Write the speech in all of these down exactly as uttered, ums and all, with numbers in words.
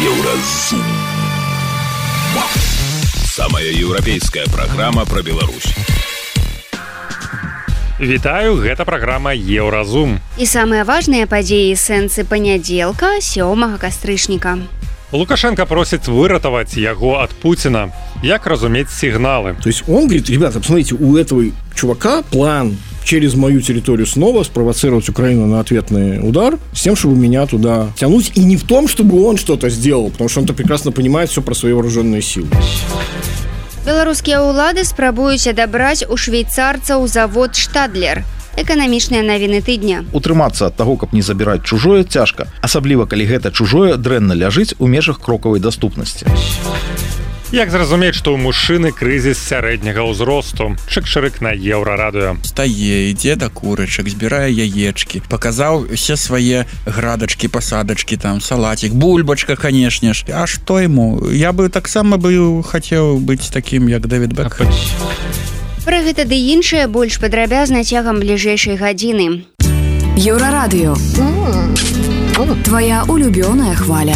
Еўразум. Самая еўрапейская праграма пра Беларусь. Вітаю, гэта праграма Еўразум. І самыя важныя падзеі сэнсы панядзелка, сёмага кастрычніка. Лукашенко просит выратовать его от Путина. Як разуметь сигналы? То есть он говорит: ребята, посмотрите, у этого чувака план через мою территорию снова спровоцировать Украину на ответный удар с тем, чтобы меня туда тянуть. И не в том, чтобы он что-то сделал, потому что он-то прекрасно понимает все про свои вооруженные силы. Беларускія ўлады спрабуюць адабраць у швейцарцаў завод «Штадлер». Эканамічныя навіны тыдня. Утрымацца ад таго, каб не забіраць чужое, цяжка, асабліва калі гэта чужое дрэнна ляжыць у межах крокавай даступнасці. Як зразумець, што ў мужчыны крызіс сярэдняга ўзросту? Чык-чырык на Еўрарадыё. Стае, ідзе да курачак, збірае яечкі, паказаў усе свае градачкі, пасадачкі, там, салатик, бульбачка, канешне ж. А што яму? Я бы таксама бы хацеў быць такім, як Дэвід Бэкхэм. Пра гэта ды іншае больш падрабязна цягам бліжэйшай гадзіны. Еўрарадыё. Твоя улюбёная хваля.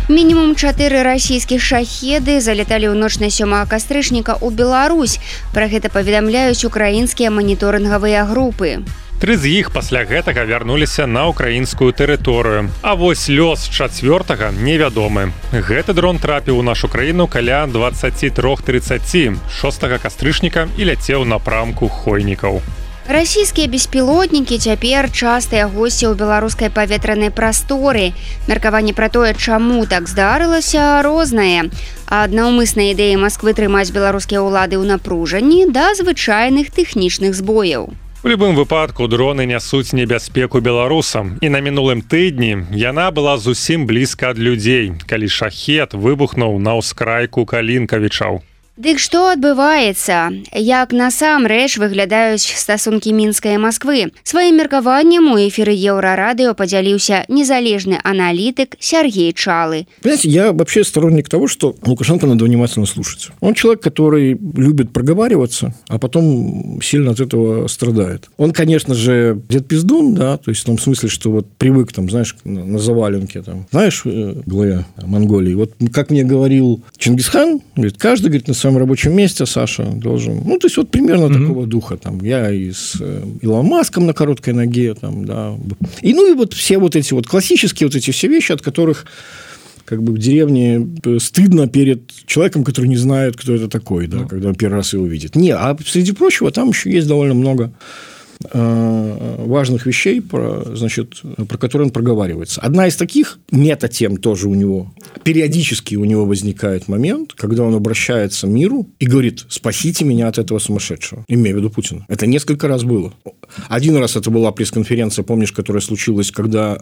Мінімум чатыры расійскіх шахеды залеталі ў ноч на сёмага кастрычніка ў Беларусь. Пра гэта паведамляюць украінскія маніторынгавыя групы. Тры з іх пасля гэтага вярнуліся на украінскую тэрыторыю. А вось лёс чацвёртага невядомы. Гэты дрон трапіў у нашу краіну каля дваццаць тры трыццаць шостага кастрычніка і ляцеў напрамку Хойнікаў. Расійскія беспілотнікі цяпер частыя госці ў беларускай паветранай прасторы. Меркаванне пра тое, чаму так здарылася, рознае. Ад наўмыснай ідэі Масквы трымаць беларускія ўлады ў напружанні да звычайных тэхнічных збояў. У любым выпадку дроны нясуць небяспеку беларусам. І на мінулым тыдні яна была зусім блізка ад людзей, калі шахет выбухнуў на ўскрайку Калінкавічаў. Дык што адбываецца? Як насамрэч выглядаюць стасункі Мінска і Масквы? Сваім меркаваннем у эфіры Еўрарадыё подзяліўся незалежны аналитик Сергей Чалы. Понимаете, я вообще сторонник того, что Лукашенко надо внимательно слушать. Он человек, который любит проговариваться, а потом сильно от этого страдает. Он, конечно же, дед пиздун, да, то есть в том смысле, что вот привык, там, знаешь, на заваленке, там, знаешь, главе Монголии. Вот как мне говорил Чингисхан, говорит, каждый, говорит, на в своем рабочем месте, Саша, должен... Ну, то есть, вот примерно mm-hmm. такого духа. Там, я и с Илоном Маском на короткой ноге, там, да. И, ну, и вот все вот эти вот классические вот эти все вещи, от которых как бы в деревне стыдно перед человеком, который не знает, кто это такой, да, mm-hmm. когда он первый раз его видит. Не, а среди прочего, там еще есть довольно много важных вещей, про, значит, про которые он проговаривается. Одна из таких мета-тем тоже у него. Периодически у него возникает момент, когда он обращается к миру и говорит: спасите меня от этого сумасшедшего. Имея в виду Путина. Это несколько раз было. Один раз это была пресс-конференция, помнишь, которая случилась, когда...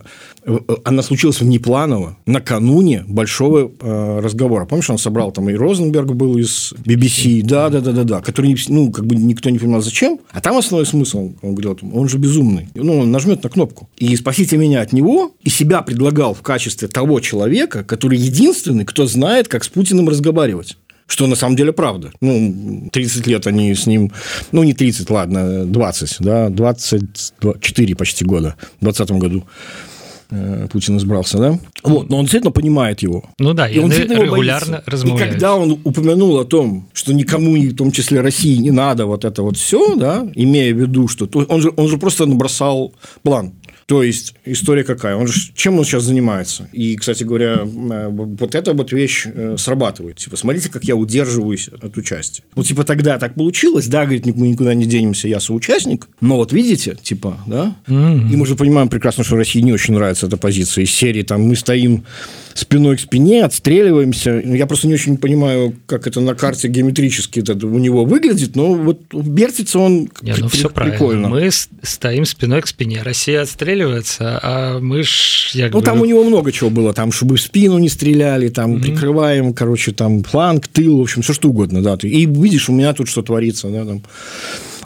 Она случилась внепланово, накануне большого э, разговора. Помнишь, он собрал там и Розенберг был из би би си, да-да-да-да, который, ну, как бы никто не понимал, зачем. А там основной смысл, он говорил, он же безумный. Ну, он нажмет на кнопку. И спасите меня от него, и себя предлагал в качестве того человека, который единственный, кто знает, как с Путиным разговаривать. Что на самом деле правда. Ну, тридцать лет они с ним... Ну, не тридцать, ладно, двадцать, да, двадцать четыре почти года. В двадцатом году Путин избрался, да? Вот, но он действительно понимает его. Ну да, и он регулярно размовляют. И когда он упомянул о том, что никому, в том числе России, не надо вот это вот все, да, имея в виду, что... Он же, он же просто набросал план. То есть, история какая? Он же, чем он сейчас занимается? И, кстати говоря, вот эта вот вещь срабатывает. Типа, смотрите, как я удерживаюсь от участия. Вот, типа, тогда так получилось, да, говорит, мы никуда не денемся, я соучастник, но вот видите, типа, да, mm-hmm. и мы же понимаем прекрасно, что России не очень нравится эта позиция из серии, там, мы стоим спиной к спине, отстреливаемся. Я просто не очень понимаю, как это на карте геометрически это у него выглядит, но вот вертится он не, ну, при- все прикольно. Правильно. Мы стоим спиной к спине. Россия отстреливается, а мы ж... Ну, бы... там у него много чего было. Там, чтобы в спину не стреляли, там, mm-hmm. прикрываем, короче, там, фланг, тыл, в общем, все что угодно, да. И видишь, у меня тут что творится, да, там...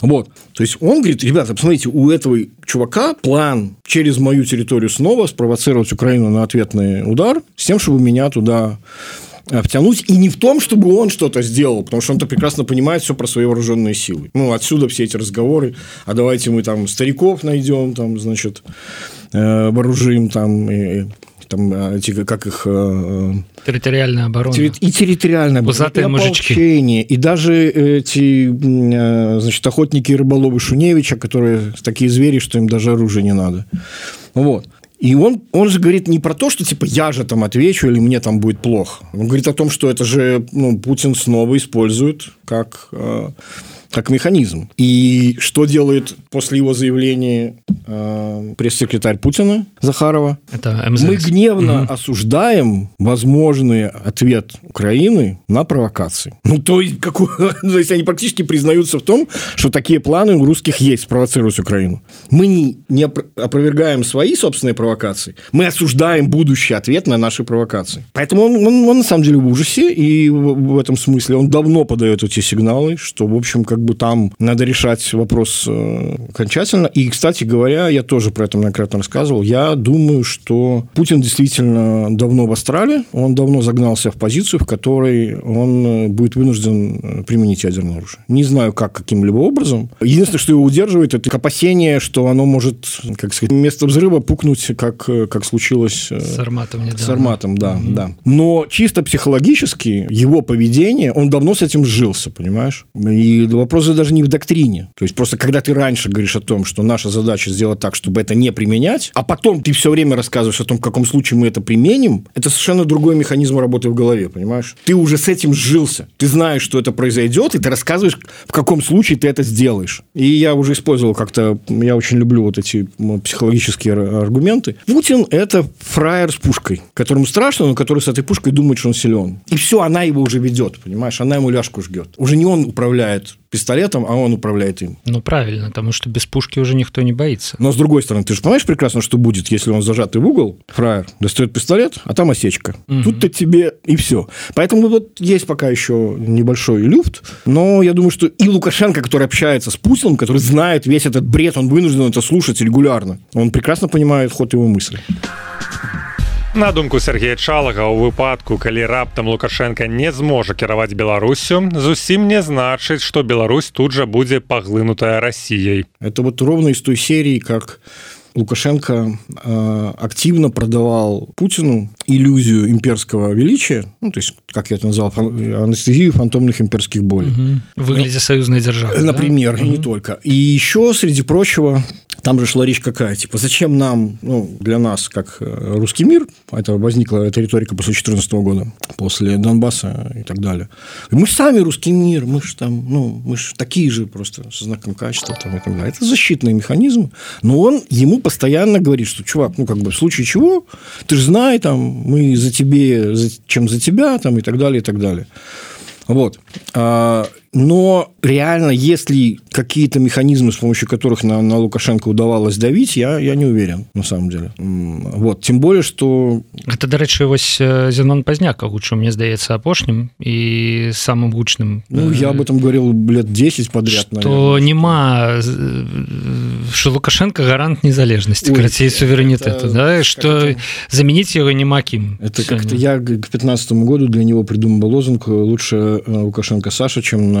Вот. То есть он говорит, ребята, посмотрите, у этого чувака план через мою территорию снова спровоцировать Украину на ответный удар с тем, чтобы меня туда втянуть, и не в том, чтобы он что-то сделал, потому что он-то прекрасно понимает все про свои вооруженные силы. Ну, отсюда все эти разговоры, а давайте мы там стариков найдем, там, значит, вооружим, там, и, там, эти, как их... Территориальная оборона. И территориальная оборона, и ополчение, и даже эти, значит, охотники и рыболовы Шуневича, которые такие звери, что им даже оружия не надо. Вот. И он, он же говорит не про то, что типа я же там отвечу или мне там будет плохо. Он говорит о том, что это же, ну, Путин снова использует как, э, как механизм. И что делает после его заявления э, пресс-секретарь Путина Захарова? Это эм зэ эс. Мы гневно угу. осуждаем возможный ответ Украины на провокации. Ну, то есть, какой, то есть они практически признаются в том, что такие планы у русских есть спровоцировать Украину. Мы не, не опровергаем свои собственные провокации, мы осуждаем будущий ответ на наши провокации. Поэтому он, он, он на самом деле в ужасе, и в, в этом смысле он давно подает эти сигналы, что, в общем, как бы там надо решать вопрос э, окончательно. И, кстати говоря, я тоже про это многократно рассказывал, я думаю, что Путин действительно давно в астрале, он давно загнался в позицию, в которой он будет вынужден применить ядерное оружие. Не знаю, как, каким-либо образом. Единственное, что его удерживает, это опасение, что оно может, как сказать, вместо взрыва пукнуть, как, как случилось с Сарматом недавно. С Сарматом, да, угу. да. Но чисто психологически его поведение, он давно с этим сжился, понимаешь? И вопрос даже не в доктрине. То есть просто когда ты раньше говоришь о том, что наша задача сделать так, чтобы это не применять, а потом ты все время рассказываешь о том, в каком случае мы это применим, это совершенно другой механизм работы в голове, понимаешь? Ты уже с этим сжился. Ты знаешь, что это произойдет, и ты рассказываешь, в каком случае ты это сделаешь. И я уже использовал как-то, я очень люблю вот эти психологические аргументы. Путин – это фраер с пушкой, которому страшно, но который с этой пушкой думает, что он силен. И все, она его уже ведет, понимаешь? Она ему ляжку жгет. Уже не он управляет пистолетом, а он управляет им. Ну, правильно, потому что без пушки уже никто не боится. Но, с другой стороны, ты же понимаешь прекрасно, что будет, если он зажатый в угол, фраер, достает пистолет, а там осечка. Угу. Тут-то тебе и все. Поэтому вот есть пока еще небольшой люфт, но я думаю, что и Лукашенко, который общается с Путиным, который знает весь этот бред, он вынужден это слушать регулярно. Он прекрасно понимает ход его мысли. На думку Сергея Чалага, у выпадку, калі раптам Лукашенко не зможа кіраваць Беларусю, зусім не значыць, што Беларусь тут жа будзе паглынутая Россией. Это вот ровно из той серии, как Лукашенко э, активно продавал Путину иллюзию имперского величия, ну, то есть, как я это назвал, анестезию фантомных имперских болей. Угу. В выгляде союзной державы. Например, да? и угу. не только. И еще, среди прочего, там же шла речь какая, типа, зачем нам, ну, для нас, как русский мир, это возникла эта риторика после две тысячи четырнадцатого года, после Донбасса и так далее. Мы сами русский мир, мы же там, ну, мы же такие же просто со знаком качества там, и так далее. Это защитный механизм, но он ему постоянно говорит, что, чувак, ну, как бы, в случае чего, ты же знай, там, мы за тебе, за, чем за тебя, там, и так далее, и так далее. Вот. Но реально, если какие-то механизмы, с помощью которых на, на Лукашенко удавалось давить, я, я не уверен, на самом деле. Вот. Тем более, что... Это, дарэчы, вось Зенон Пазняк агучыў, мне здаецца, апошнім и самым гучным. Ну, я об этом говорил лет десять подряд, что наверное. нема, что Лукашенко гарант незалежности, карацей, суверенитета, это, да, что это... заменить его нема ким. Это сегодня. Как-то я к пятнадцатому году для него придумал лозунг «Лучше Лукашенко Саша, чем на...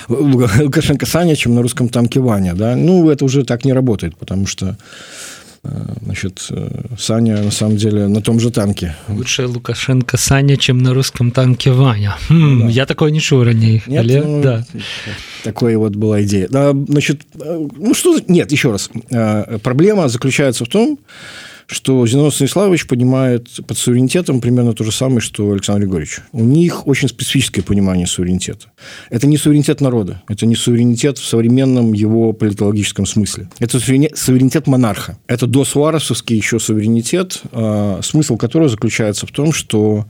Лукашенко Саня, чем на русском танке Ваня». Да? Ну, это уже так не работает, потому что значит, Саня на самом деле на том же танке. Лучше Лукашенко Саня, чем на русском танке Ваня. Хм, ну, да. Я такое не чуў раней. Нет, але... ну, да. Такой вот была идея. Да, значит, ну что... Нет, еще раз. Проблема заключается в том, что Зенон Станиславович понимает под суверенитетом примерно то же самое, что Александр Григорьевич. У них очень специфическое понимание суверенитета. Это не суверенитет народа, это не суверенитет в современном его политологическом смысле. Это суверенитет монарха. Это досуаресовский еще суверенитет, смысл которого заключается в том, что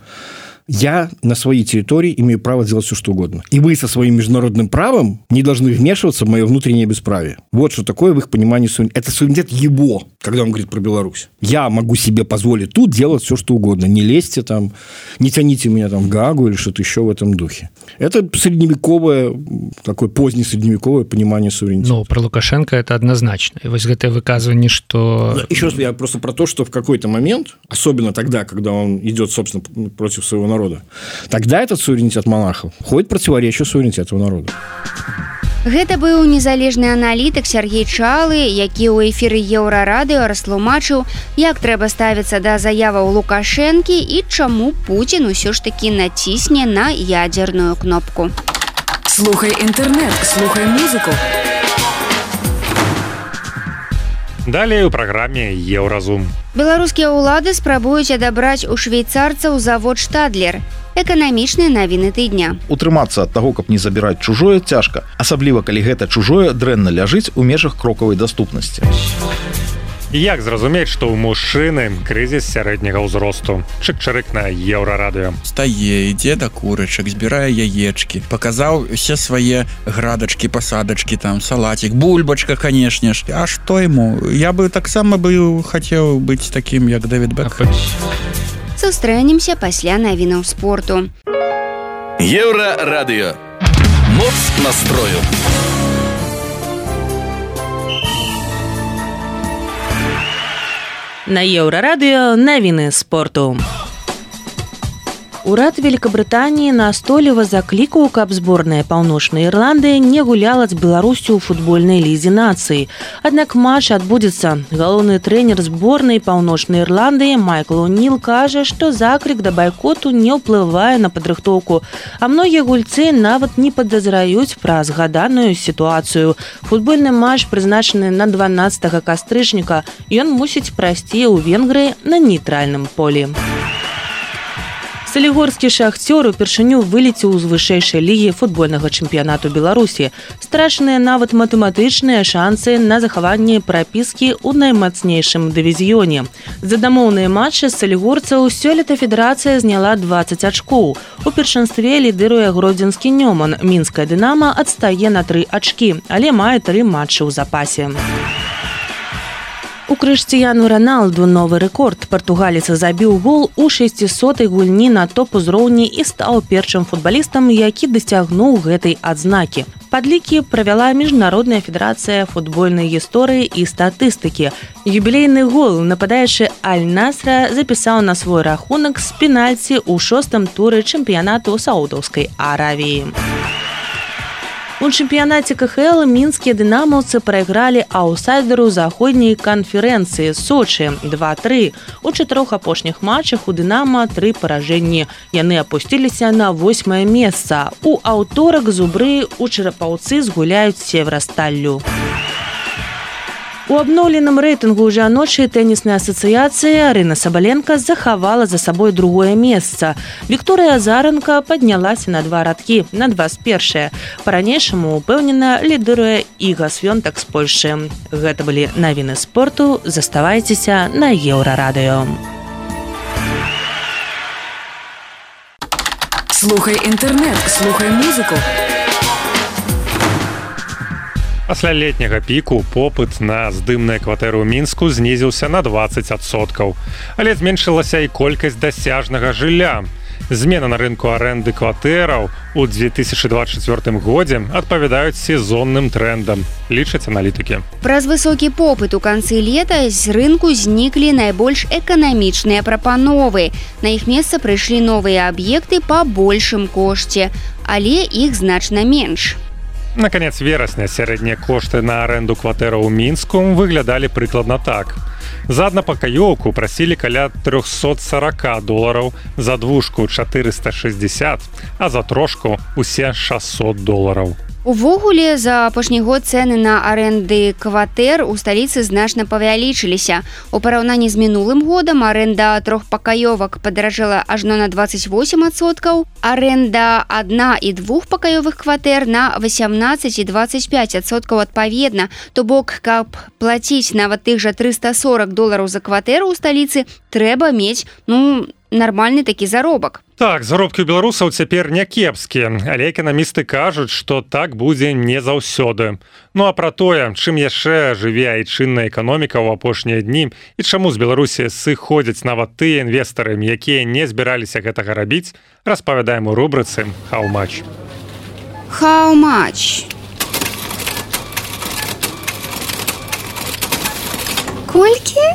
я на своей территории имею право делать все, что угодно. И вы со своим международным правом не должны вмешиваться в мое внутреннее бесправие. Вот что такое в их понимании суверенитет. Это суверенитет его, когда он говорит про Беларусь. Я могу себе позволить тут делать все, что угодно. Не лезьте там, не тяните меня там в Гаагу или что-то еще в этом духе. Это средневековое, такое позднесредневековое понимание суверенитета. Ну, про Лукашенко это однозначно. И вот это выказывание, что... Еще раз, я просто про то, что в какой-то момент, особенно тогда, когда он идет, собственно, против своего народа, народа, тогда этот суверенитет монархов ходит противоречию суверенитету народа. Гэта быў незалежны аналітык Сергей Чалы, які ў эфіры Еўрарадыё растлумачыў, як трэба ставіцца да заяваў Лукашэнкі і чаму Пуцін усё ж такі націсне на ядзерную кнопку. Слухай інтэрнэт, слухай музыку. Далей у праграме Еўразум. Беларускія ўлады спрабуюць адабраць у швейцарцаў завод «Штадлер». Эканамічныя навіны тыдня. Утрымацца ад таго, каб не забіраць чужое, цяжка, асабліва калі гэта чужое дрэнна ляжыць у межах крокавай даступнасці. Як зразумець, што ў мужчыны крызіс сярэдняга ўзросту? Чык-чырык на Еўрарадыё. Стае, ідзе да курачак, збірае яечкі, паказаў усе свае градачкі, пасадачкі, там салатик, бульбачка, канешне ж. А што яму? Я бы таксама бы хацеў быць такім, як Дэвід Бекхэм. Сустрэнемся пасля навінаў спорту. Еўрарадыё. Моц настрою. На Еўрарадыё навіны спорту. Урад Великабрытаніі настойліва заклікаў, каб зборная Паўночнай Ірландыі не гуляла з Беларусю ў футбольнай лізе нацыі. Аднак матч адбудзецца. Галоўны трэнер зборнай Паўночнай Ірландыі Майкл О'Ніл кажа, што заклік да байкоту не ўплывае на падрыхтоўку, а многія гульцы нават не падазраюць пра згаданую сітуацыю. Футбольны матч прызначаны на дванаццатага кастрычніка. Ён мусіць прайсці ў Венгрыі на нейтральным полі. Салігорскі «Шахцёр» упершыню вылецеў з вышэйшай лігі футбольнага чэмпіянату Беларусі. Страчаныя нават матэматычныя шансы на захаванне прапіскі ў наймацнейшым дывізіёне. За дамоўныя матчы салігорцаў сёлета федэрацыя зняла дваццаць ачкоў. У першынстве лідыруе гродзенскі «Нёман». Мінская «Дынама» адстае на тры ачкі, але мае тры матчы ў запасе. У Крыштыяну Роналду новы рэкорд. Партугалец забіў гол у шасцісотай гульні на топ-узроўні і стаў першым футбалістам, які дасягнуў гэтай адзнакі. Падлікі правяла Міжнародная федэрацыя футбольнай гісторыі і статыстыкі. Юбілейны гол нападаючы Аль-Насра запісаў на свой рахунак з пенальці ў шостым туры чэмпіянату Саудаўскай Аравіі. У чэмпіянаце ка ха эл мінскія дынамаўцы прайгралі аўтсайдеру заходняй канферэнцыі Сочы два тры. У чатырох апошніх матчах у «Дынама» тры паражэнні. Яны апусціліся на восьмае месца. У аўторак зубры у Чарапаўцы згуляюць з Северасталлю. У абноўленым рэйтынгу жаночай тэнісная асацыяцыя Арына Сабаленка захавала за сабой другое месца. Вікторыя Азаранка паднялася на два радкі, на дваццаць першае. Па-ранейшаму упэўнена лідыруе Іга Свёнтак з Польшы. Гэта былі навіны спорту. Заставайцеся на Еўрарадыё. Слухай інтэрнэт, слухай музыку. Пасля летняга піку попыт на здымныя кватэры ў Мінску знізіўся на дваццаць адсоткаў. Але зменшылася і колькасць дасяжнага жылля. Змены на рынку арэнды кватэраў у две тысячы дваццаць чвёртым годзе адпавядаюць сезонным трендам, лічаць аналітыкі. Праз высокі попыт у канцы лета з рынку зніклі найбольш эканамічныя прапановы. На іх месца прыйшлі новыя аб'екты па большым кошце, але іх значна менш. На канец верасня сярэднія кошты на арэнду кватэраў у Мінску выглядалі прыкладна так. За аднапакаёўку прасілі каля трёхсот сорок долараў, за двушку чатырыста шэсцьдзесят, а за трошку усе шасот долараў. Увогуле, за апошні год цэны на арэнды кватэр у сталіцы значна павялічыліся. У параўнанні з мінулым годам арэнда трохпакаёвак падаражэла ажно на дваццаць восем адсоткаў, арэнда адна- і двухпакаёвых кватэр на васямнаццаць і дваццаць пяць адсоткаў адпаведна. То бок, каб плаціць нават тых жа трыста сорок долараў за кватэру ў сталіцы, трэба мець, ну, нармальны такі заробак. Так, заробкі ў беларусаў цяпер не кепскія, але эканамісты кажуць, што так будзе не заўсёды. Ну а пра тое, чым яшчэ жыве айчынная эканоміка ў апошнія дні і чаму з Беларусі сыходзяць нават тыя інвестары, якія не збіраліся гэтага рабіць, распавядаем у рубрыцы «How much?». How much? Колькі?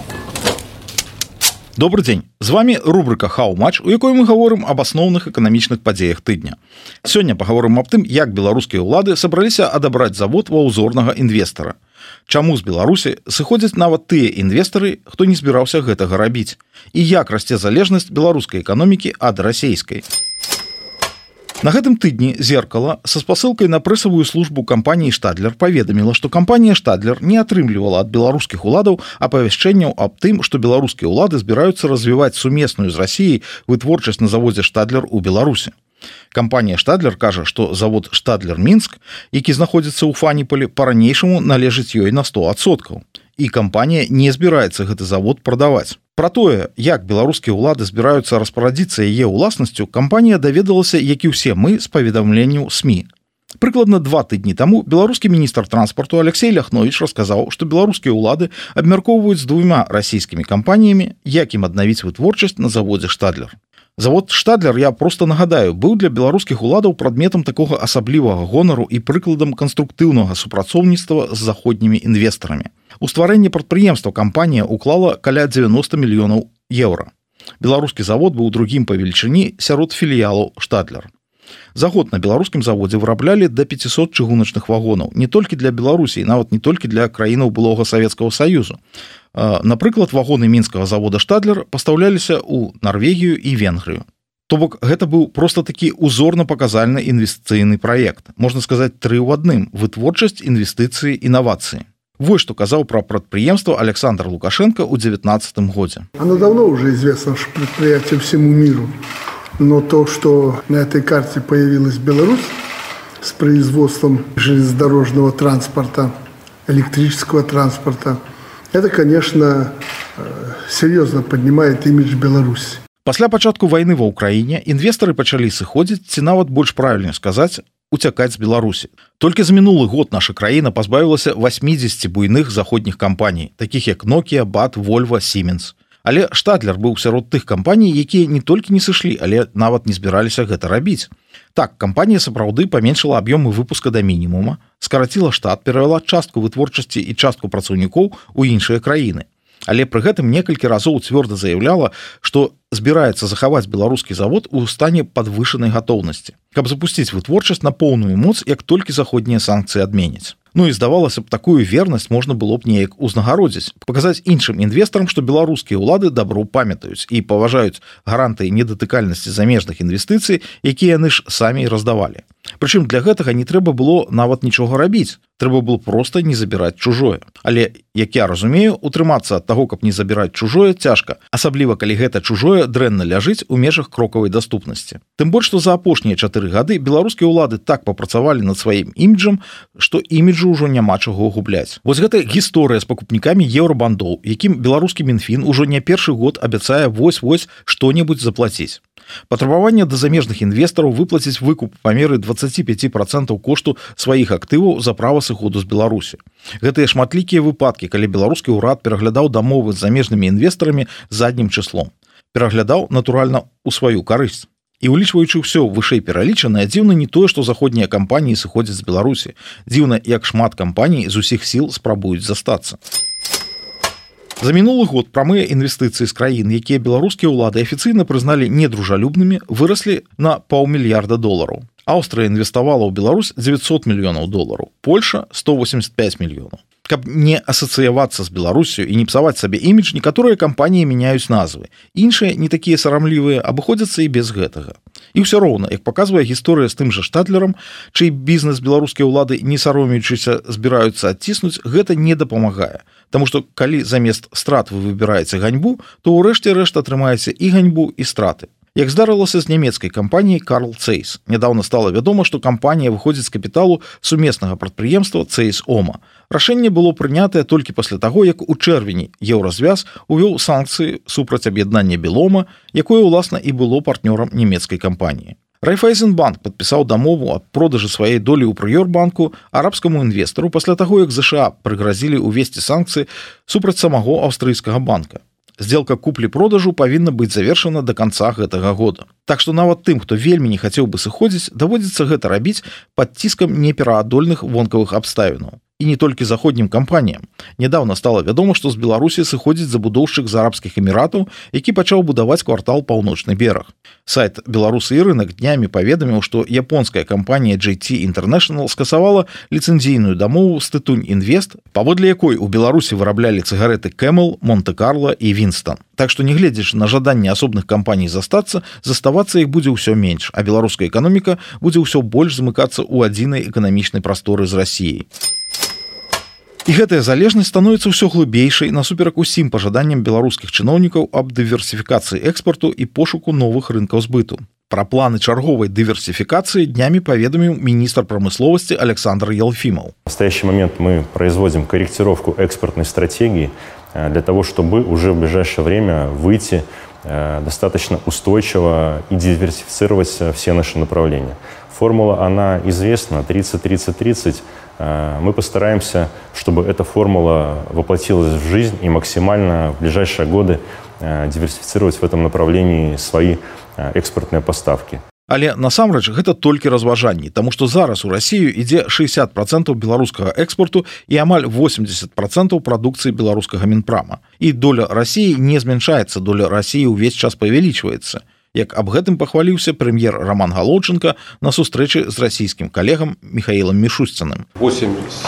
Добрый дзень, з вами рубрика «Хау-матч», у якой мы гаворым об асноўных эканамічных падзеях тыдня. Сёння пагаворым аб тым, як беларускія ўлады сабраліся адабраць завод ва ўзорнага інвестара. Чаму з Беларусі сыходзяць нават тыя інвестары, хто не збіраўся гэтага рабіць, і як расце залежнасць беларускай эканомікі ад расейскай. На гэтым тыдні «Зеркало» са спасылкай на прэсавую службу кампаніі «Штадлер» паведаміла, што кампанія «Штадлер» не атрымлівала ад беларускіх уладаў апавяшчэнняў аб тым, што беларускія ўлады збіраюцца развіваць сумесную з Расіяй вытворчасць на заводзе «Штадлер» у Беларусі. Кампанія «Штадлер» кажа, што завод «Штадлер Мінск», які знаходзіцца ў Фаніполі, па-ранейшаму належыць ёй на сто адсоткаў. І кампанія не збіраецца гэты завод прадаваць. Пра тое, як беларускія ўлады збіраюцца распарадзіцца яе ўласнасцю, кампанія даведалася, як і ўсе мы, з паведамленняў СМІ. Прыкладна два тыдні таму беларускі міністр транспарту Алексей Ляхновіч расказаў, што беларускія ўлады абмяркоўваюць з двума расійскімі кампаніямі, як ім аднавіць вытворчасць на заводзе «Штадлер». Завод «Штадлер», я просто нагадаю, быў для беларускіх уладаў прадметам такога асаблівага гонару і прыкладам канструктыўнага супрацоўніцтва з заходнімі інвестарамі. У стварэнне прадпрыемства кампанія уклала каля дзевяноста мільёнаў еўра. Беларускі завод быў другім па велічыні сярод філіялаў «Штадлер». За год на беларускім заводзе выраблялі да пяцісот чыгуначных вагонаў, не толькі для Беларусі, нават не толькі для краінаў былога Савецкага Саюзу. Напрыклад, вагоны мінскага завода «Штадлер» пастаўляліся ў Нарвегію і Венгрыю. То бок, гэта быў проста такі узорна-паказальны інвестыцыйны праект. Можна сказаць, тры ў адным – вытворчасць, інвестыцыі, інавацыі. Вось што казаў пра прадпрыемства Александр Лукашенко ў девятнадцатом годзе. Оно давно уже известно, что предприятие всему миру. Но то, что на этой карте появилась Беларусь с производством железнодорожного транспорта, электрического транспорта, это, конечно, серьезно поднимает имидж Беларуси. Пасля пачатку вайны ва ўкраіне інвестары пачалі сыходзіць, ці нават больш правільна сказаць, уцякаць з Беларусі. Толькі за мінулы год наша краіна пазбавілася васьмідзесяці буйных заходніх кампаній, такіх як Nokia, бат, Volvo, Siemens. Але «Штадлер» быў сярод тых кампаній, якія не толькі не сышлі, але нават не збіраліся гэта рабіць. Так, кампанія сапраўды паменшыла аб'ёмы выпуска да мінімума, скараціла штат, перавяла частку вытворчасці і частку працаўнікоў у іншыя краіны. Але пры гэтым некалькі разоў цвёрда заяўляла, што збіраецца захаваць беларускі завод у стане падвышанай гатоўнасці, каб запусціць вытворчасць на поўную моц, як толькі заходнія санкцыі адменяць. Ну і здавалася б, такую вернасць можна было б неяк узнагародзіць, паказаць іншым інвестарам, што беларускія ўлады дабру памятаюць і паважаюць гарантыі недатыкальнасці замежных інвестыцый, якія яны ж самі раздавалі. Прычым для гэтага не трэба было нават нічога рабіць, трэба было проста не забіраць чужое. Але, як я разумею, утрымацца ад таго, каб не забіраць чужое, цяжка, асабліва калі гэта чужое дрэнна ляжыць у межах крокавай даступнасці. Тым больш, што за апошнія чатыры гады беларускія ўлады так папрацавалі над сваім іміджам, што іміджу ўжо няма чаго губляць. Вось гэта гісторыя з пакупнікамі еўрабандоў, якім беларускі Мінфін ужо не першы год абяцае вось-вось што-небудзь заплаціць. Патрабаванне да замежных інвестараў выплаціць выкуп па меры дваццаць пяць працэнтаў кошту сваіх актываў за права сыходу з Беларусі. Гэтыя шматлікія выпадкі, калі беларускі ўрад пераглядаў дамовы з замежнымі інвестарамі заднім чыслом. Пераглядаў, натуральна, у сваю карысць. І улічваючы ўсё вышэй пералічанае, дзіўна не тое, што заходнія кампаніі сыходзяць з Беларусі. Дзіўна, як шмат кампаній з усіх сіл спрабуюць застацца. За мінулы год прамыя інвестыцыі з краін, якія беларускія ўлады афіцыйна прызналі недружалюбнымі, выраслі на паўмільярда долараў. Аўстрыя інвеставала ў Беларусь дзевяцьсот мільёнаў долараў, Польша сто восемьдесят пять мільёнаў. Каб не асацыявацца з Беларусю і не псаваць сабе імідж, некаторыя кампаніі мяняюць назвы. Іншыя, не такія сарамлівыя, абыходзяцца і без гэтага. І ўсё роўна, як паказвае гісторыя з тым жа «Штадлерам», чый бізнес беларускія ўлады, не саромеючыся, збіраюцца адціснуць, гэта не дапамагае. Таму што калі замест страт вы выбіраеце ганьбу, то ўрэшце рэшт атрымаеце і ганьбу, і страты. Як здарылася з нямецкай кампаніяй Carl Zeiss. Нядаўна стала вядома, што кампанія выходзіць з капіталу сумеснага прадпрыемства Zeiss Oma. Рашэнне было прынятае толькі пасля таго, як у чэрвені Еўразвяз увёў санкцыі супраць аб'яднання Белома, якое, уласна, і было партнёрам нямецкай кампаніі. Райфайзенбанк падпісаў дамову аб продажы сваёй долі ў Прыёрбанку арабскаму інвестару пасля таго, як ЗША прыгразілі ўвесці санкцыі супраць самого аўстрыйскага банка. Сделка куплі-продажу павінна быць завершана да канца гэтага года. Так што нават тым, хто вельмі не хацеў бы сыходзіць, даводзіцца гэта рабіць пад ціскам непераадольных вонкавых абставінаў. і не толькі заходнім кампаніям. Нядаўна стала вядома, што з Беларусі сыходзіць забудоўшчык з арабскіх эміратаў, які пачаў будаваць квартал «Паўночны бераг». Сайт «Беларусы і рынок» днямі паведаміў, што японская кампанія джей ти International скасавала ліцэнзійную дамову з Тытунь Інвест, паводле якой у Беларусі выраблялі цыгареты Camel, Монте-Карло і Winston. Так што, нягледзячы на жаданне асобных кампаній застацца, заставацца іх будзе ўсё менш, а беларуская эканоміка будзе ўсё больш замыкацца ў адзінай эканамічнай прасторы з Расіяй. І гэтая залежнасць становіцца ўсё глыбейшай насуперак усім пажаданням беларускіх чыноўнікаў аб дыверсіфікацыі экспарту і пошуку новых рынкаў збыту. Пра планы чарговай дыверсификации днями поведомил министр промысловости Александр Елфимов. В настоящий момент мы производим корректировку экспортной стратегии для того, чтобы уже в ближайшее время выйти достаточно устойчиво и диверсифицировать все наши направления. Формула, она известна, тридцать тридцать тридцать. Мы постараемся, чтобы эта формула воплотилась в жизнь и максимально в ближайшие годы диверсифицировать в этом направлении свои экспортные поставки. Але насамрэч гэта толькі разважанні, таму што зараз у Расію ідзе шэсцьдзесят процентаў беларускага экспорту і амаль восемьдесят процентаў прадукцыі беларускага Мінпрама. І доля Расіі не змяншаецца, доля Расіі ўвесь час павялічваецца. Як аб гэтым пахваліўся прэм'ер Роман Галоўчынка на сустрэчы з расійскім калегам Михаилом Мишустиным. восемь с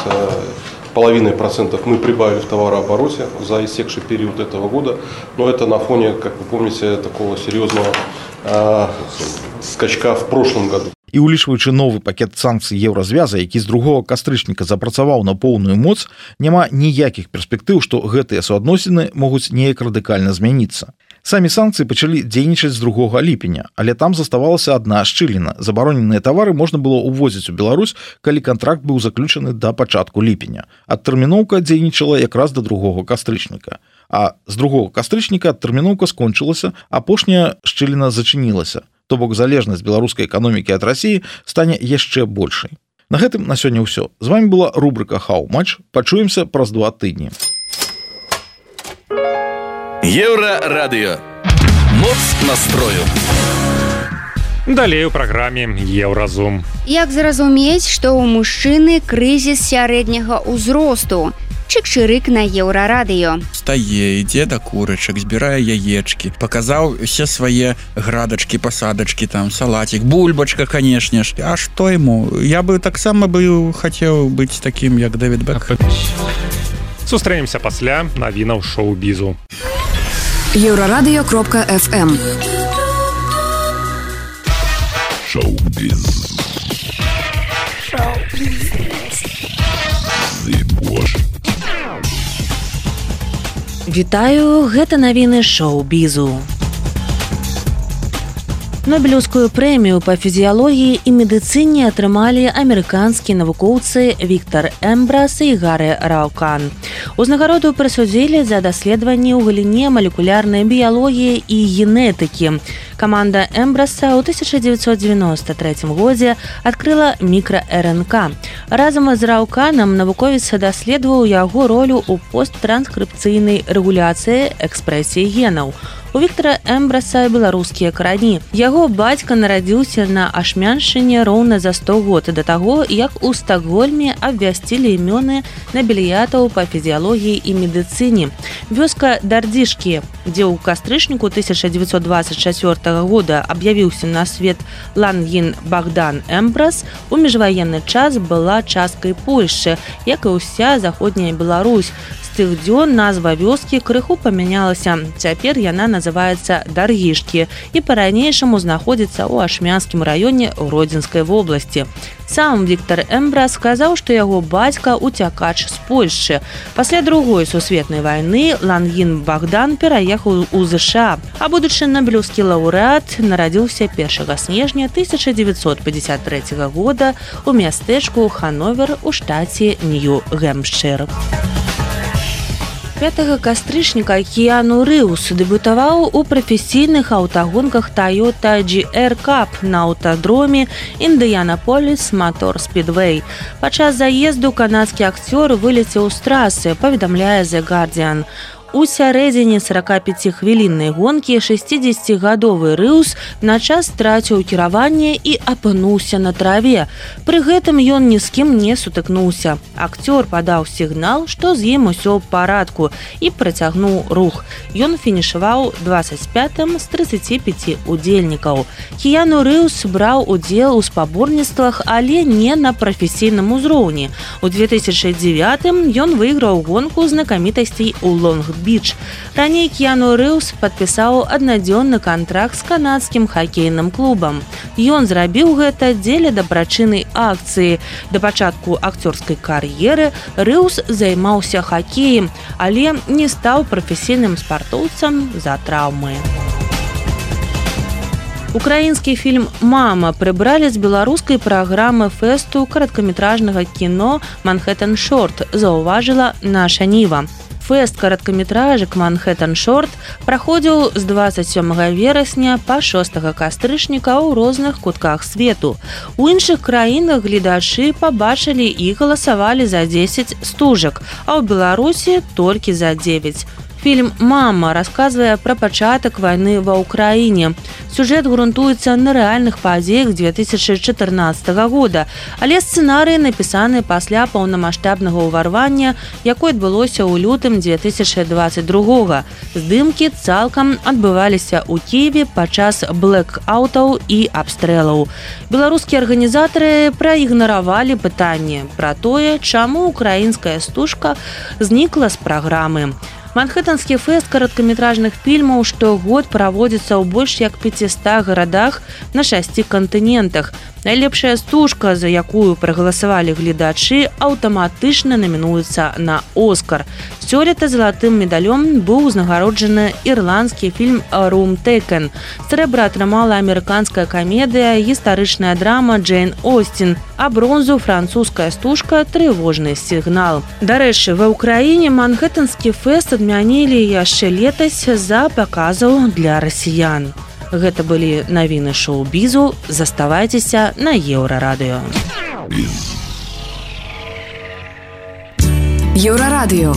половиной процентов мы прибавили в товарообороте за истекший период этого года, но это на фоне, как вы помните, такого серьезного э, скачка в прошлом году. І улічваючы новы пакет санкцый еўразвяза, які з другога кастрычніка запрацаваў на поўную моц, няма ніякіх перспектыў, што гэтыя суадносіны могуць неяк радыкальна змяніцца. Самі санкцыі пачалі дзейнічаць з другога ліпеня, але там заставалася адна шчыліна. Забароненыя тавары можна было ўвозіць у Беларусь, калі кантракт быў заключаны да пачатку ліпеня. Адтэрміноўка дзейнічала якраз да другога кастрычніка. А з другога кастрычніка адтэрміноўка скончылася, апошняя шчыліна зачынілася. То бок залежнасць беларускай эканомікі ад Расіі стане яшчэ большай. На гэтым на сёння ўсё. З вами была рубрика «How Much». Пачуемся праз два тыдні. Еўрарадыё. Моц настрою. Далей у праграме Еўразум. Як зразумець, што ў мужчыны крызіс сярэдняга ўзросту? Чык-чырык на Еўрарадыё. Стае, ідзе да курачак, збірае яечкі, паказаў усе свае градачкі, пасадачкі, там салатик, бульбачка, канешне ж. А што яму? Я бы таксама бы хацеў быць такім, як Дэвід Бекхэм. Сустрэнемся пасля навінаў шоу-бізу. Еўрарадыё кропка эф эм. Шоу-біз. Шоу-біз. Зыбош. Вітаю, гэта навіны шоу-бізу. Нобелеўскую прэмію па фізіялогіі і медыцыне атрымалі амерыканскія навукоўцы Віктар Эмбрас і Гарэ Раукан. Узнагароду прысудзілі за даследаванні ў галіне малекулярнай біялогіі і генетыкі. Каманда Эмбраса ў тысяча дзевяцьсот дзевяноста трэцім годзе адкрыла мікра-эр эн ка. Разам з Рауканам навуковец даследаваў яго ролю ў посттранскрыпцыйнай рэгуляцыі экспрэсіі генаў. У Віктара Эмбраса беларускія карані. Яго бацька нарадзіўся на Ашмяншчыне роўна за сто год да таго, як у Стакгольме абвясцілі імёны набеліятаў па фізіялогіі і медыцыне. Вёска Дардзішкі, дзе ў кастрычніку тысяча дзевяцьсот дваццаць чацвёртага года аб'явіўся на свет Лангін Богдан Эмбрас, у міжваенны час была часткай Польшчы, як і ўся заходняя Беларусь. З тых дзён назва вёскі крыху памянялася. Цяпер яна называецца Даргішкі і па-ранейшаму знаходзіцца ў Ашмянскім раёне Гродзенскай вобласці. Сам Віктар Эмбрас сказаў, што яго бацька уцякач з Польшчы. Пасля другой сусветнай вайны Лангін Богдан пераехаў у ЗША, а будучы нобелеўскі лаўрэат нарадзіўся першага снежня тысяча дзевяцьсот пятьдесят трэцяга года ў мястэчку Хановер у штаце Нью-Гэмпшыр. пятага кастрычніка Кіану Рыўс дэбютаваў у прафесійных аўтагонках Toyota джі ар Cup на аўтадроме Індыянаполіс Мотор Спідвей. Падчас заезду канадскі акцёр вылецеў з трасы, паведамляе The Guardian. У сярэдзіне сорокапяцихвіліннай гонкі шэсцідзесяцігадовы Рыус на час страціў кіраванне і апынуўся на траве. Пры гэтым ён ні з кім не сутыкнуўся. Акцёр падаў сігнал, што з ім усё ў парадку і працягнуў рух. Ён фінішаваў двадцать пятым з тридцати пяти удзельнікаў. Кіяну Рыус браў удзел у спаборніцтвах, але не на прафесійным узроўні. У две тысячи девятым ён выйграў гонку знакамітасцей у Лонг-Біч. Раней Кіяну Рыус падпісаў аднадзённы кантракт з канадскім хакейным клубам. Ён зрабіў гэта дзеля дабрачыннай акцыі. Да пачатку акцёрскай кар'еры Рыус займаўся хакеем, але не стаў прафесійным спартоўцам з-за траўмы. Украінскі фільм «Мама» прыбралі з беларускай праграмы фэсту караткаметражнага кіно «Манхэттен Шорт», заўважыла наша Ніва. Фэст караткаметражак «Манхэттен Шорт» праходзіў з двадцать сёмага верасня па шостага кастрычніка ў розных кутках свету. У іншых краінах гледачы пабачылі і галасавалі за дзесяць стужак, а ў Беларусі толькі за дзевяць. Фільм «Мама» расказвае пра пачатак вайны ва Ўкраіне. Сюжэт грунтуецца на рэальных падзеях две тысячи чатырнаццатага года, але сцэнарый напісаны пасля паўнамаштабнага ўварвання, якое адбылося ў лютым две тысячи двадцать другога. Здымкі цалкам адбываліся ў Кіеве падчас блэкаутаў і абстрэлаў. Беларускія арганізатары праігнаравалі пытанне пра тое, чаму украінская стужка знікла з праграмы. Манхэттанскі фэст караткаметражных фільмаў штогод праводзіцца ў больш як пятистах гарадах на шасці кантынентах. Найлепшая стужка, за якую прагаласавалі гледачы, аўтаматычна намінуецца на Оскар. Сёлета залатым медалём быў узнагароджаны ірландскі фільм «Room Taken». Срэбра атрымала амерыканская камедыя, гістарычная драма «Джейн Остин», а бронзу французская стужка «Трывожны сігнал». Дарэчы, ва Ўкраіне Манхэттанскі фэст адмянілі яшчэ летась з-за паказаў для расіян. Гэта былі навіны шоу-бізу. Заставайцеся на Еўрарадыё. Еўрарадыё.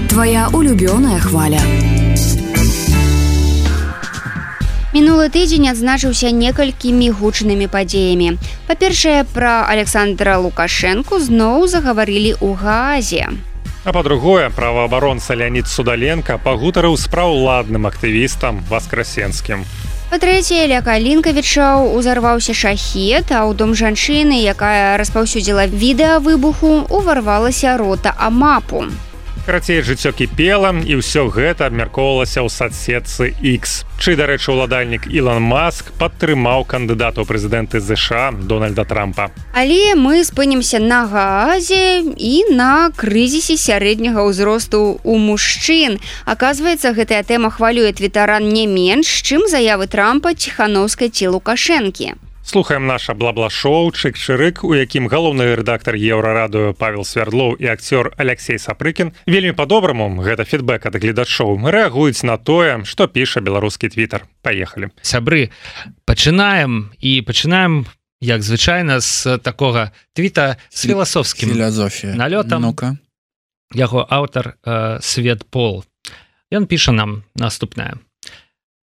Твоя улюбёная хваля. Мінулы тыдзень адзначыўся некалькімі гучнымі падзеямі. Па-першае, пра Александра Лукашэнку зноў загаварылі ў Гаазе. А па-другое, праваабаронца Леонид Судаленко пагутарыў з праўладным актывістам Васкрасенскім. Па-трэцяе, ля Калінкавічаў узарваўся шахет, а ў дом жанчыны, якая распаўсюдзіла відэа выбуху, уварвалася рота АМАПу. Карацей, жыццё кіпела, і ўсё гэта абмяркоўвалася ў садсетцы X. Чый, дарэчы, уладальнік Ілон Маск падтрымаў кандыдата ў прэзідэнты ЗША Дональда Трампа. Але мы спынімся на Гаазе і на крызісе сярэдняга ўзросту ў мужчын. Аказваецца, гэтая тэма хвалюе твітаран не менш, чым заявы Трампа, Ціханаўскай ці Лукашэнкі. Слухаем наша бла-бла-шоу «Чык-чырык», у якім галоўны рэдактар Еўрарадыё Павел Свярдлоў і акцёр Алексей Сапрыкін вельмі па-добраму, гэта фідбэк ад гледачоў, рэагуюць на тое, што піша беларускі твітар. Паехалі. Сябры, пачынаем і пачынаем, як звычайна, з такога твіта з філасофскім налётам. Ну-ка. Яго аўтар э, Свет Пол. Ён піша нам наступнае.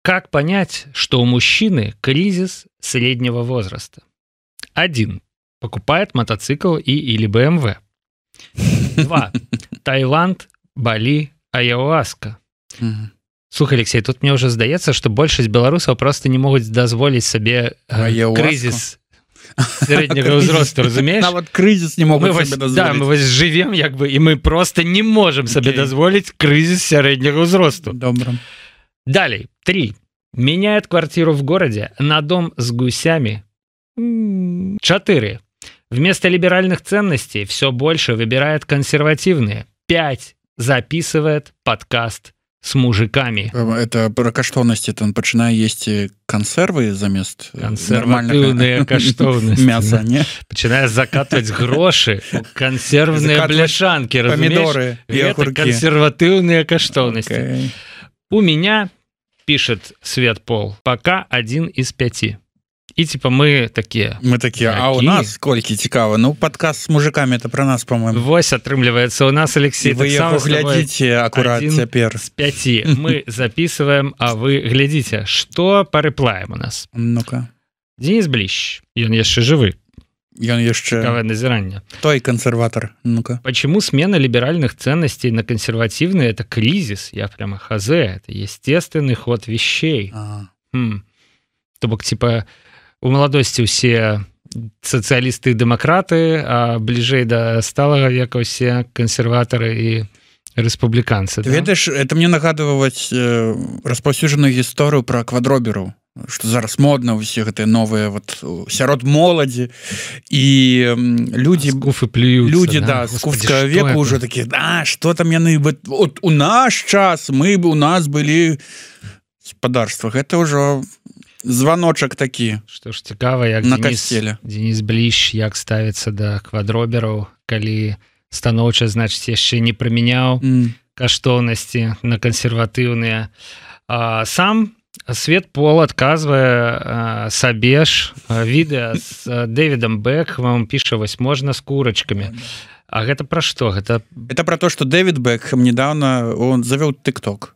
Как понять, что у мужчины кризис среднего возраста? Один. Покупает мотоцикл и или бэ эм вэ. Два. Таиланд, Бали, Аяуаска. Слухай, Алексей, тут мне уже здаецца, что большасць беларусаў просто не могуць дазволіць сабе э, кризис среднего возраста, разумеешь? Нават кризис не могут мы себе вось, да, мы вось живем, як бы, и мы просто не можем себе okay. дозволить кризис среднего возраста. Добро. Далее. Три. Меняет квартиру в городе на дом с гусями. Четыре. Вместо либеральных ценностей все больше выбирает консервативные. Пять. Записывает подкаст с мужиками. Это про каштоўнасці, то он пачынае есці кансервы замест консерватыўныя каштоўнасці мяса, не? Пачынае закатваць грошы у кансервныя бляшанкі, помидоры и это консерватыўныя каштоўнасці. Okay. У меня, пишет Свет Пол, пока один из пяти. і типа мы такія мы такія а у нас колькі цікава ну падказ з мужикамі это про нас по-моему вось атрымліваецца у нас Алексей вы яго глядзіце акурат цяпер з пяці мы записываем а вы глядзіце што па рэплаем у нас ну-ка Денис Блищ ён яшчэ жывы ён яшчэ назірання той консерватор ну-ка почему смена либеральных ценностей на консервативные это кризис я прямо хазе это естественный ход вещей хм. То бок типа у маладосці ўсе сацыялісты і дэмакраты а бліжэй да сталага века ўсе кансерватары і рэспубліканцы да? Ведаеш это мне нагадваць э, распаўсюджаную гісторыю пра квадроберу што зараз модна ўсе гэтыя новыя вот сярод моладзі і людзі куфы плююцца людзі да, да скуфскага веку ўжо такі да што там яны от у наш час мы бы у нас былі спадарствах это ўжо званочак такі што ж цікава як на Денис, касцеле Денис Блищ як ставіцца да квадробераў калі станоўча значыць яшчэ не прымяняў mm. каштоўнасці на кансерватыўныя а, сам Свет Пол адказвае сабе ж відэа з Дэвідам Бекхэмом піша вось можна з курачкамі а гэта пра што гэта это пра то што Дэвід Бекхэм недавно он завёў тык-ток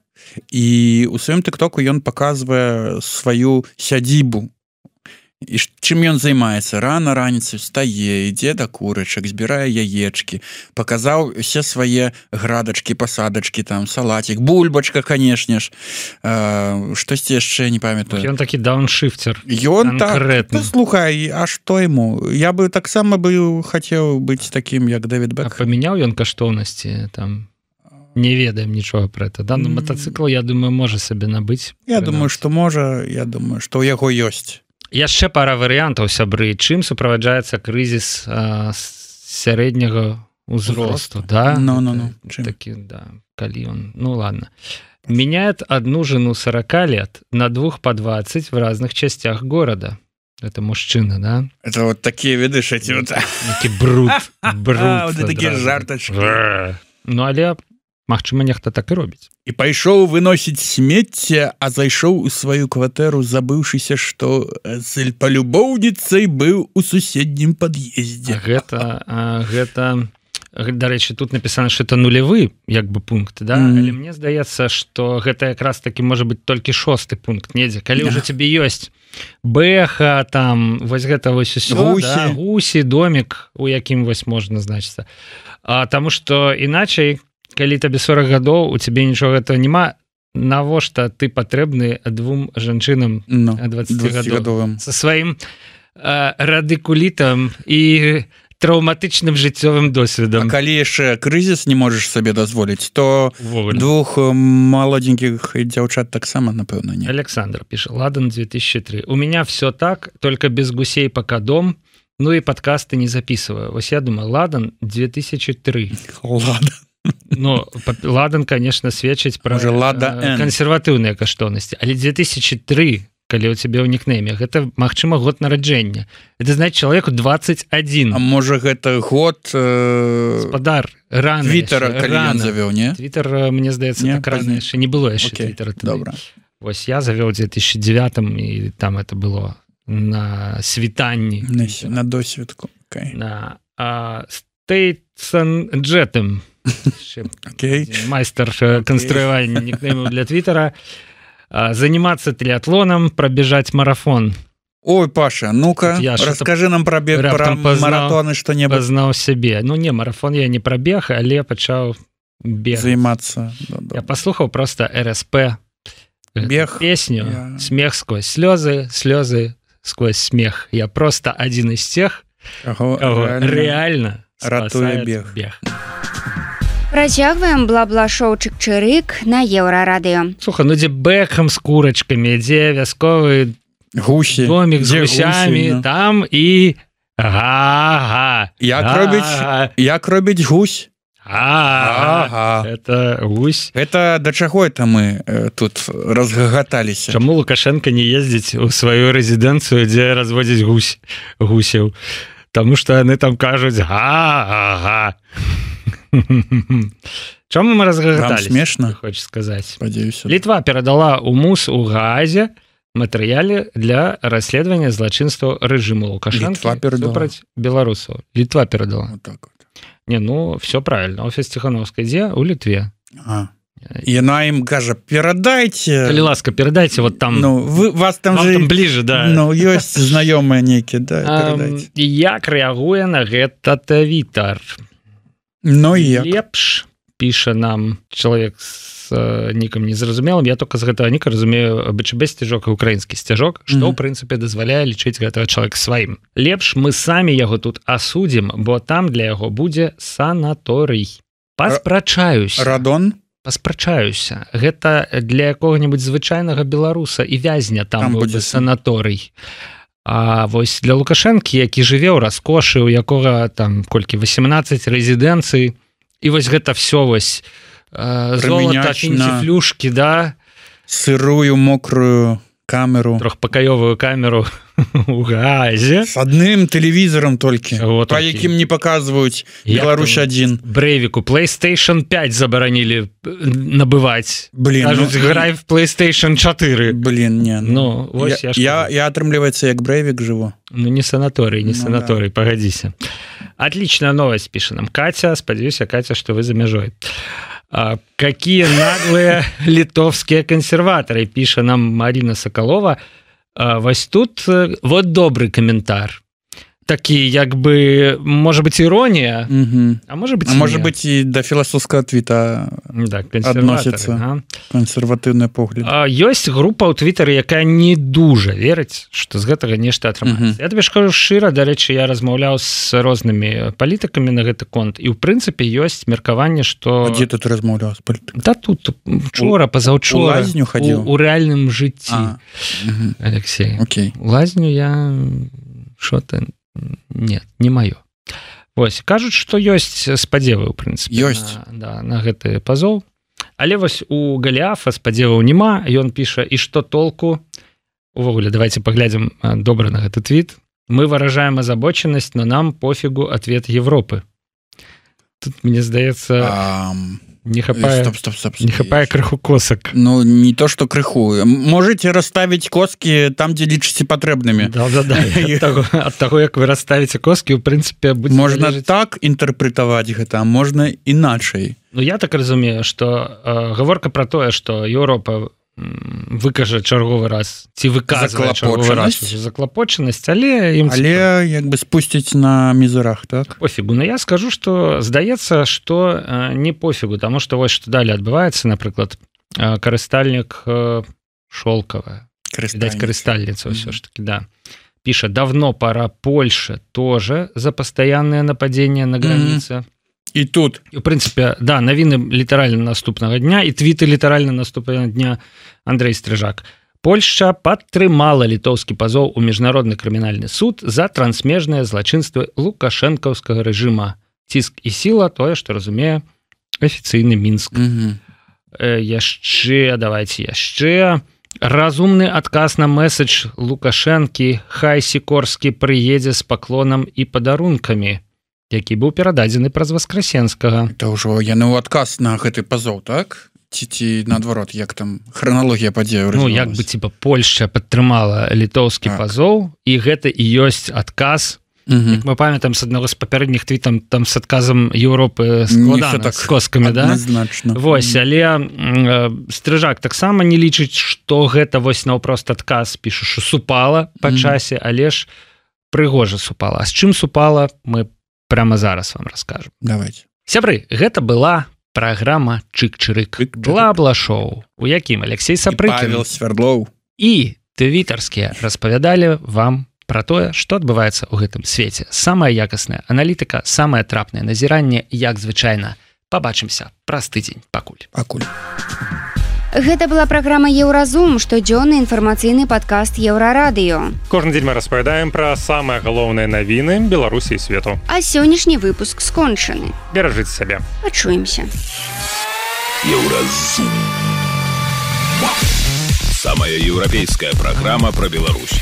і у сваім тык-току ён паказвае сваю сядзібу і чым ён займаецца рана раніцай стае ідзе да курачак збірае яечкі паказаў усе свае градачкі пасадачкі там салатик бульбачка канешне ж штосьці яшчэ не памятаю ён такі дауншифтер ён так слухай а што яму я бы таксама бы хацеў быць такім як Дэвід Бек памяняў ён каштоўнасці там не ведаем нічога про это да ну мотоцикл я думаю можа сабе набыць я думаю что можа я думаю что у яго ёсць яшчэ пара варыянтаў сябры чым суправаджаецца крызіс а, сярэдняга узросту да ну, ну, ну. такі да калі он ну ладно меняет одну жену сорока лет на двух по двадцать в разных частях города это мужчина да это вот такие видишь эти вот бруд бруд такие жартачки ну але магчыма нехта так і робіць і пайшоў выносіць смецце а зайшоў у сваю кватэру забыўшыся што з палюбоўніцай быў у суседнім пад'ездзе гэта а, гэта дарэчы тут напісана что это нулявы як бы пункт да mm. але мне здаецца что гэта якраз таки можа быть толькі шосты пункт недзе калі ўжо тебе ёсць бэха там вось гэта вось усё гусі, да? гусі домик у якім вось можна значыцца а таму что іначай калі табе сорок гадоў у цябе нічога этого няма навошта ты патрэбны двум жанчынам no, двадцацігадовым со сваім э, радыкулітам і траўматычным жыццёвым досведам а калі яшчэ крызіс не можаш сабе дазволіць то Вовольно. Двух маладзенькіх дзяўчат таксама напэўна не Александр піша ладан две тысячи три у меня все так только без гусей пока дом ну и подкасты не записываю вось я думаю ладан две тысячи три ладан Ну, ладан, конечно, сведчыць пра кансерватыўныя каштоўнасці, але две тысячи три, калі ў цябе ў нікнейме, гэта, магчыма, год нараджэння. Это значит чалавеку двадцать один. А можа, гэта год... Э... Спадар, рана Твиттера, калі ён завёў, не? Твиттер, мне здаецца, не, так рана яшчэ не было яшчэ okay, Твиттера. Добра. Вось я завёў у две тысячи девятом, і там это было на світанні. На, на досведку. Okay. На а, Стейтсон Джетем. Okay. Майстер okay. конструирования никнеймов для Твиттера. Заниматься триатлоном, пробежать марафон. Ой, Паша, ну-ка, расскажи нам про, бег, про марафоны что-нибудь. Познал себе. Ну, не, марафон я не пробег, але пачаў бегать. Заниматься. Да, да. Я послухал просто эр эс пэ. Бег. Песню. Я... Смех сквозь слезы, слезы сквозь смех. Я просто один из тех, Ого, кого реально, реально ратуе бег. бег. Працягваем бла-бла-шоу Чык-чырык на Еўрарадыё. Слухай, ну дзе Бэкхэм з курачкамі, дзе вясковы гусі, домик з гусямі, ну. Там і га-га. Як робіць, як робіць гусь? Ага. Это гусь. Это да чаго это мы э, тут разгагаталіся? Чаму Лукашенко не ездзіць у сваю рэзідэнцыю, дзе разводзіць гусь, гусяў? Таму што яны там кажуць га-га. Чаму мы разгагаталіся? Вам смешна? Хочешь сказаць. Спадзяюся. Літва перадала ў МУС у Гаазе матэрыяле для расследавання злачынстваў рэжыму Лукашэнкі супраць беларусаў. Літва перадала. Вот так вот. Не, ну, все правильно. Офіс Ціхановскай дзе? У Літве. А. Яна ім кажа, перадайце. Калі ласка, перадайце вот там. Ну, вы, вас там вам же... там ближе, да. Ну, ёсць знаёмыя нейкія, да, перадайце. Як рэагуе на гэта Твітар? Ну, як? Лепш, піша нам чалавек з э, нікам незразумелым. Я только з гэтага ніка разумею БЧБ сцяжок і украінскі сцяжок, што, mm-hmm. ў прынцыпе, дазваляе лічыць гэтага чалавека сваім. Лепш мы самі яго тут асудзім, бо там для яго будзе санаторый. Паспрачаюся. Радон? Паспрачаюся. Гэта для якога-небудзь звычайнага беларуса і вязня там, там будзе санаторый. А вось для Лукашэнкі, які жыве ў раскошы, у якога там колькі восемнадцать рэзідэнцый, і вось гэта все вось э, золата, фінці-флюшкі, да? Сырую, мокрую камеру. Трохпакаёвую камеру у газе. С адным тэлевізорам толькі, вот па такі. Якім не паказваюць Беларусь один. Брэйвіку PlayStation пять забаранілі набываць. Блин, кажуць, ну, грай в PlayStation четыре. Блин, не. Ну, ну вось я, я, я, я атрымліваецца, як Брэйвік жыву. Ну, не санаторый, не ну, санаторый, да. Погодися. Отличная новость, пишет нам Катя. Сподеюсь, Катя, что вы за межой. А, какие наглые литовские консерваторы, пишет нам Марина Соколова. А, вось тут вот добрый комментар. Такі, як бы, может быть, ирония, угу. а может быть, а может быть, и до философского твита да, относится ага. консервативный погляд. А, есть группа у Твиттера, якая не дуже верить, что з гэтага нешта атрымаецца. Угу. Я тебе скажу шчыра, дарэчы, я размаўляў з рознымі палітыкамі на гэты конт, і ў прынцыпе ёсць меркаванне, што... А дзе тут размаўляў з палітыкамі? Да тут, учора, пазаўчора. У лазню хадзіў? У, у рэальным жыцці. А. Угу. Алексей. Окей. У лазню я... Шо ты... Нет, не маё. Вось, кажуць, што ёсць спадзевы, ў прынцыпе, ёсць. На, да, на гэты пазоў. Але вось у Галіафа спадзеваў няма, ён піша, і што толку? Увогуле, давайте паглядзім добра на гэты твіт. Мы выражаем озабоченность, но нам пофигу ответ Европы. Тут, мне здаецца... Um... Не хапае, стоп, стоп, стоп, стоп. Не хапае крыху косак. Ну, не то, что крыху. Можете расставить коски там, где лічыце патрэбнымі. Да-да-да. От того, от того, як вы расставите коски, в принципе, будзе можно залежыць... так інтэрпрэтаваць гэта, а можна іначай. Ну, я так разумею, что э, гаворка про тое, что Еўропа выкажа чарговы раз ці выказвае чарговы раз заклапочанасць, але ім але як бы спусціць на мізерах, так? Пофігу. Но я скажу, што здаецца, што э, не пофігу, таму што вось што далі адбываецца, напрыклад, э, карыстальнік э, Шолкава, відаць, карыстальніца ўсё ж таки, да. Піша, давно пора Польше тоже за постоянное нападение на границе. Mm-hmm. І тут. І, в прынцыпе, да, навіны літаральна наступнага дня, і твіты літаральна наступнага дня Андрэй Стрыжак. Польшча падтрымала літоўскі пазоў у міжнародны крымінальны суд за трансмежныя злачынствы лукашэнкаўскага рэжыма. Ціск і сіла, тое, што разумее афіцыйны Мінск. Угу. Э, яшчэ, давайте яшчэ. Разумны адказ на месседж Лукашэнкі, хай Сікорскі прыедзе з паклонам і падарункамі, які быў перададзены праз Васкрасенскага. Это ўжо яны ў адказ на гэты пазоў, так? Ці, ці наадварот, як там храналогія падзеяў Ну, развівалась? як бы, типа, Польшча падтрымала літоўскі так. пазоў, і гэта і ёсць адказ. Угу. Як мы памятаем з аднаго з папярэдніх твітам, там з адказам Еўропы складана, так, з коскамі, да? Адназначна. Вось, але э, Стрыжак таксама не лічыць, што гэта вось наўпрост адказ, піша, што супала па часе, угу. але ж прыгожа супала. А з чым супала, мы прямо зараз вам расскажем. Давайте. Сябры, гэта была праграма Чык-чырык. Бла-бла-шоу, у якім Алексей Сапрыкін Павел Свердлоў і твітарскія распавядалі вам пра тое, што адбываецца ў гэтым свеце. Самая якасная аналітыка, самае трапнае назіранне, як звычайна. Пабачымся праз тыдзень. Пакуль. Пакуль. Гэта была праграма Еўразум, штодзённы інфармацыйны падкаст Еўрарадыё. Кожны дзень мы распавядаем пра самыя галоўныя навіны Беларусі і свету. А сённяшні выпуск скончаны. Беражыце сябе. Пачуемся. Еўразум. Самая еўрапейская праграма пра Беларусь.